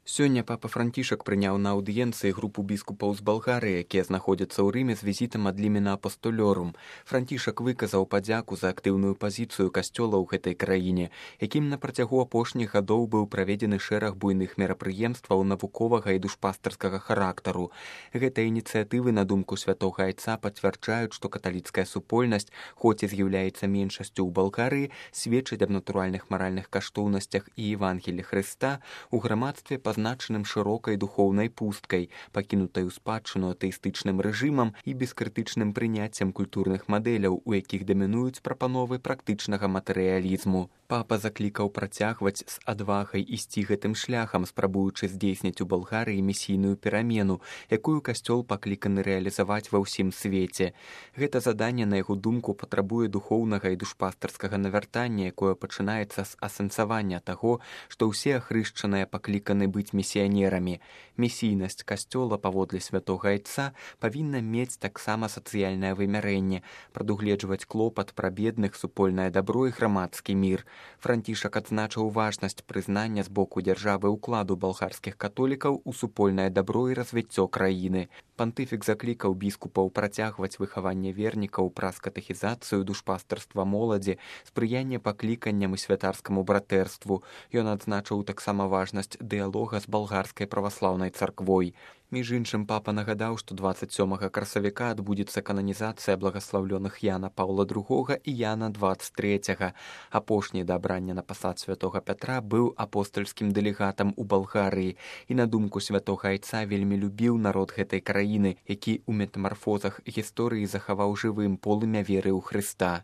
Сёння папа Францішак прыняў на аўдыенцыі групу біскупаў з Балгарыі, якія знаходзяцца ў Рыме з візітам ад лімена апостолёрум. Францішак выказаў падзяку за актыўную пазіцыю касцёла ў гэтай краіне, якім на працягу апошніх гадоў быў праведзены шэраг буйных мерапрыемстваў навуковага і душпастарскага характару. Гэтыя ініцыятывы, на думку святога айца, пацвярджаюць, што каталіцкая супольнасць, хоць і з'яўляецца меншасцю ў Балгарыі, сведчыць аб натуральных маральных каштоўнасцях і Евангелі Хрыста у грамадстве пазначаным шырокай духоўнай пусткай, пакінутай у спадчыну атэістычным рэжымам і бескрытычным прыняццем культурных мадэляў, у якіх дамінуюць прапановы практычнага матэрыялізму. Папа заклікаў працягваць з адвагай ісці гэтым шляхам, спрабуючы здзейсніць у Балгарыі місійную перамену, якую касцёл пакліканы рэалізаваць ва ўсім свеце. Гэта заданне, на яго думку, патрабуе духоўнага і душпастарскага навяртання, якое пачынаецца з асэнсавання таго, што ўсе ахрышчаныя пакліканы быць місіянерамі. Місійнасць касцёла, паводле святога айца, павінна мець таксама сацыяльнае вымярэнне, прадугледжваць клопат пра бедных, супольнае дабро і грамадскі мір. Францішак адзначыў важнасць прызнання з боку дзяржавы ўкладу балгарскіх католікаў у супольнае дабро і развіццё краіны. Пантыфік заклікаў біскупаў працягваць выхаванне вернікаў праз катэхізацыю, душпастарства моладзі, спрыянне пакліканням і святарскаму братэрству. Ён адзначыў таксама важнасць дыялога з балгарскай праваслаўнай царквой. Між іншым, папа нагадаў, што 27 красавіка адбудзецца кананізацыя благаслаўлёных Яна Паўла II і Яна 23. Апошні да абрання на пасад святога Пятра быў апостальскім дэлегатам у Балгарыі і, на думку святога айца, вельмі любіў народ гэтай краіны, які ў метамарфозах гісторыі захаваў жывым полымя веры ў Хрыста.